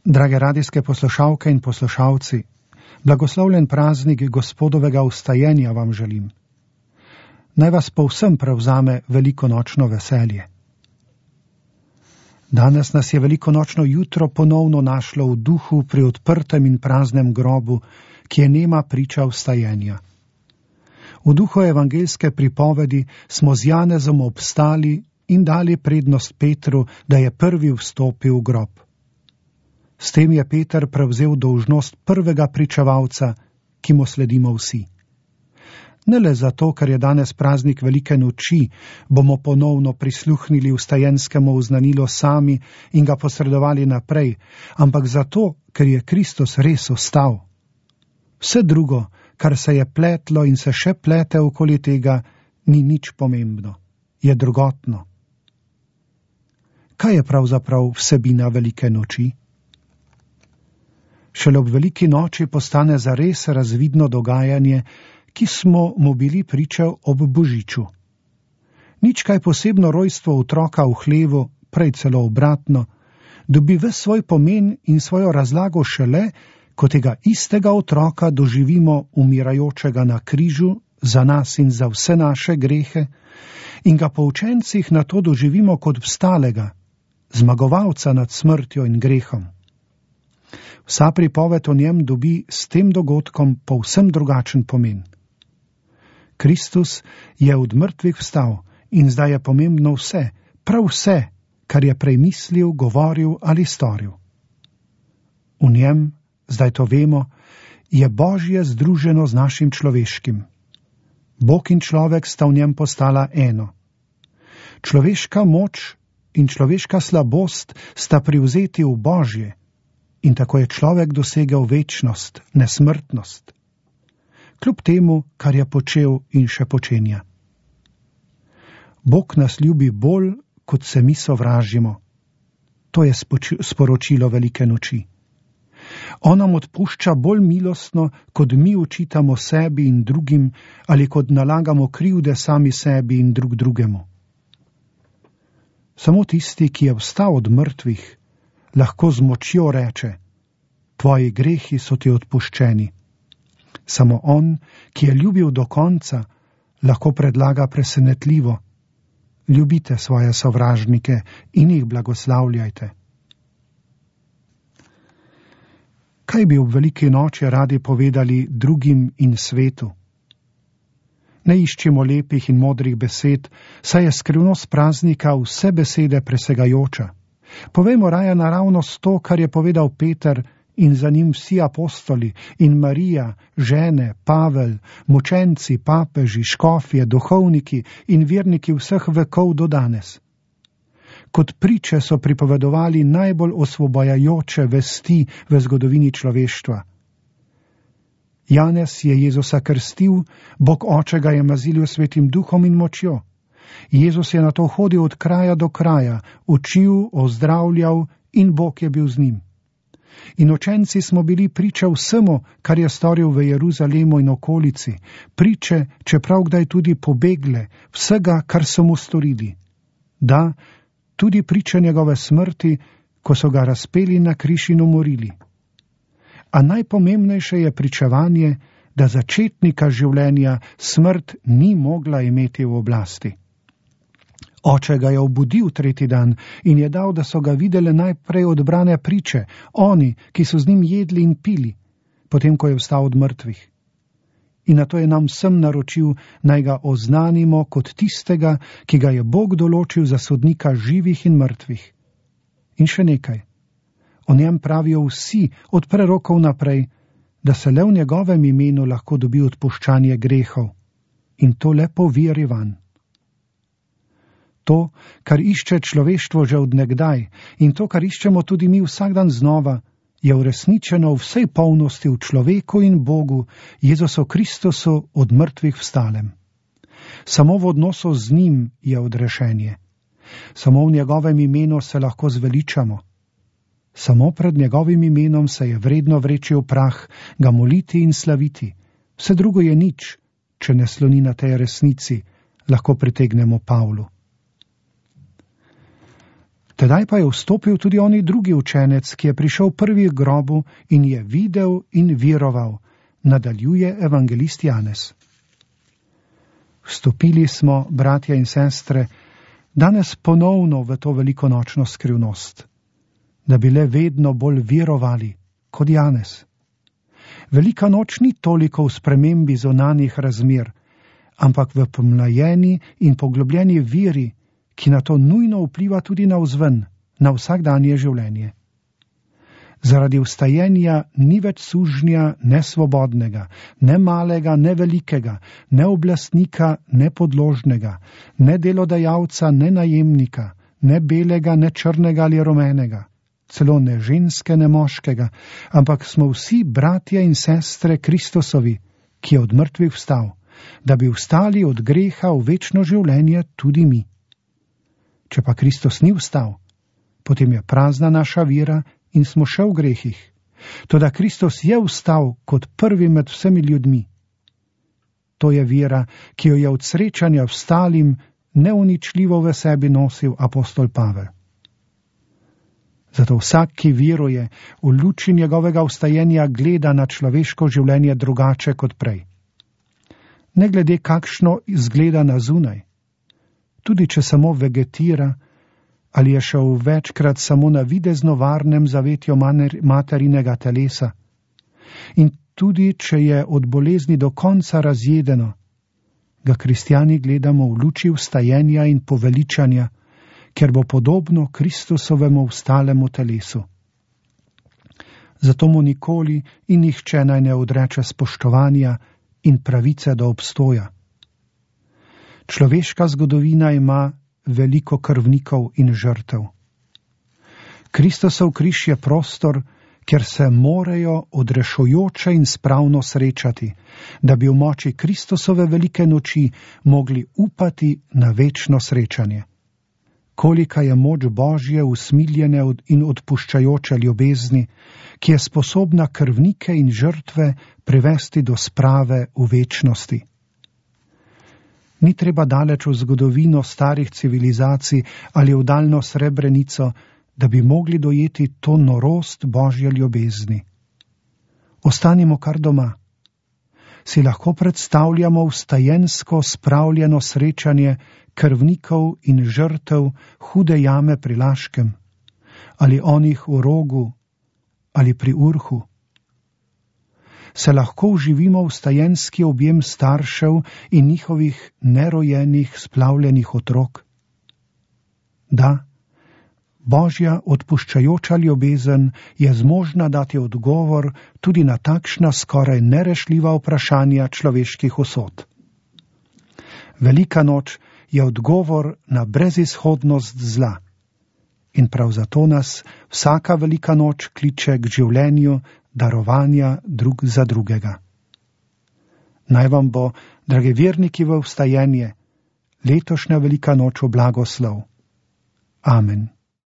Drage radijske poslušalke in poslušalci, blagoslovljen praznik Gospodovega vstajenja vam želim. Naj vas povsem prevzame velikonočno veselje. Danes nas je velikonočno jutro ponovno našlo v duhu pri odprtem in praznem grobu, ki je nema priča vstajenja. V duhu evangeljske pripovedi smo z Janezom obstali in dali prednost Petru, da je prvi vstopil v grob. S tem je Peter prevzel dolžnost prvega pričevalca, ki mu sledimo vsi. Ne le zato, ker je danes praznik velike noči, bomo ponovno prisluhnili vstajenskemu oznanilu sami in ga posredovali naprej, ampak zato, ker je Kristus res vstal. Vse drugo, kar se je pletlo in se še plete okoli tega, ni nič pomembno, je drugotno. Kaj je pravzaprav vsebina velike noči? Šele ob veliki noči postane zares razvidno dogajanje, ki smo mu bili priča ob Božiču. Nič kaj posebno rojstvo otroka v hlevu, prej celo obratno, dobi ves svoj pomen in svojo razlago šele, ko tega istega otroka doživimo umirajočega na križu za nas in za vse naše grehe in ga po učencih na to doživimo kot vstalega, zmagovalca nad smrtjo in grehom. Vsa pripoved o njem dobi s tem dogodkom povsem drugačen pomen. Kristus je od mrtvih vstal in zdaj je pomembno vse, prav vse, kar je prej mislil, govoril ali storil. V njem, zdaj to vemo, je Božje združeno z našim človeškim. Bog in človek sta v njem postala eno. Človeška moč in človeška slabost sta privzeti v Božje, in tako je človek dosegel večnost, nesmrtnost. Kljub temu, kar je počel in še počenja. Bog nas ljubi bolj, kot se mi sovražimo. To je sporočilo velike noči. On nam odpušča bolj milostno, kot mi očitamo sebi in drugim, ali kot nalagamo krivde sami sebi in drug drugemu. Samo tisti, ki je vstal od mrtvih, lahko z močjo reče: tvoji grehi so ti odpuščeni. Samo on, ki je ljubil do konca, lahko predlaga presenetljivo: ljubite svoje sovražnike in jih blagoslavljajte. Kaj bi ob veliki noči radi povedali drugim in svetu? Ne iščimo lepih in modrih besed, saj je skrivnost praznika vse besede presegajoča. Povejmo raje naravnost to, kar je povedal Peter in za njim vsi apostoli in Marija, žene, Pavel, mučenci, papeži, škofje, duhovniki in verniki vseh vekov do danes. Kot priče so pripovedovali najbolj osvobajajoče vesti v zgodovini človeštva. Janez je Jezusa krstil, Bog Oče ga je mazilil svetim duhom in močjo. Jezus je na to hodil od kraja do kraja, učil, ozdravljal in Bog je bil z njim. In učenci smo bili priče vsemu, kar je storil v Jeruzalemu in okolici, priče, čeprav kdaj tudi pobegle, vsega, kar so mu storili. Da, tudi priče njegove smrti, ko so ga razpeli na križ in umorili. A najpomembnejše je pričevanje, da začetnika življenja smrt ni mogla imeti v oblasti. Oče ga je obudil tretji dan in je dal, da so ga videle najprej odbrane priče, oni, ki so z njim jedli in pili, potem ko je vstal od mrtvih. In nato je nam vsem naročil, naj ga oznanimo kot tistega, ki ga je Bog določil za sodnika živih in mrtvih. In še nekaj. O njem pravijo vsi od prerokov naprej, da se le v njegovem imenu lahko dobi odpuščanje grehov. In to le po veri vanj. To, kar išče človeštvo že od nekdaj in to, kar iščemo tudi mi vsak dan znova, je uresničeno v vsej polnosti v človeku in Bogu, Jezusu Kristusu od mrtvih vstalem. Samo v odnosu z njim je odrešenje. Samo v njegovem imenu se lahko zveličamo. Samo pred njegovim imenom se je vredno vreči v prah, ga moliti in slaviti. Vse drugo je nič, če ne sloni na tej resnici, lahko pritegnemo Pavlu. Tedaj pa je vstopil tudi oni drugi učenec, ki je prišel prvi k grobu in je videl in veroval, nadaljuje evangelist Janez. Vstopili smo, bratja in sestre, danes ponovno v to velikonočno skrivnost, da bi le vedno bolj verovali kot Janez. Velika noč ni toliko v spremembi zunanjih razmer, ampak v pomlajeni in poglobljeni veri, ki na to nujno vpliva tudi navzven, na vsakdanje življenje. Zaradi vstajenja ni več sužnja nesvobodnega, ne malega, ne velikega, ne oblastnika, ne podložnega, ne delodajalca, ne najemnika, ne belega, ne črnega ali rumenega, celo ne ženske, ne moškega, ampak smo vsi bratje in sestre Kristusovi, ki je od mrtvih vstal, da bi vstali od greha v večno življenje tudi mi. Če pa Kristus ni vstal, potem je prazna naša vera in smo še v grehih. Toda Kristus je vstal kot prvi med vsemi ljudmi. To je vera, ki jo je od srečanja vstalim neuničljivo v sebi nosil apostol Pavel. Zato vsak, ki veruje, v luči njegovega vstajenja gleda na človeško življenje drugače kot prej. Ne glede kakšno izgleda na zunaj, tudi če samo vegetira ali je šel večkrat samo na videzno varnem zavetju materinega telesa, in tudi če je od bolezni do konca razjedeno, ga kristjani gledamo v luči vstajenja in poveličanja, ker bo podobno Kristusovemu vstalemu telesu. Zato mu nikoli in nihče naj ne odreče spoštovanja in pravice do obstoja. Človeška zgodovina ima veliko krvnikov in žrtev. Kristusov križ je prostor, kjer se morajo odrešujoče in spravno srečati, da bi v moči Kristusove velike noči mogli upati na večno srečanje. Kolika je moč Božje usmiljene in odpuščajoče ljubezni, ki je sposobna krvnike in žrtve privesti do sprave v večnosti. Ni treba daleč v zgodovino starih civilizacij ali v daljno Srebrenico, da bi mogli dojeti to norost Božje ljubezni. Ostanimo kar doma. Si lahko predstavljamo vstajensko spravljeno srečanje krvnikov in žrtev hude jame pri Laškem, ali onih v Rogu, ali pri Urhu. Se lahko vživimo v vstajenski objem staršev in njihovih nerojenih splavljenih otrok? Da, Božja odpuščajoča ljubezen je zmožna dati odgovor tudi na takšna skoraj nerešljiva vprašanja človeških usod. Velika noč je odgovor na brezizhodnost zla in prav zato nas vsaka velika noč kliče k življenju darovanja drug za drugega. Naj vam bo, dragi verniki v vstajenje, letošnja velika noč v blagoslov. Amen.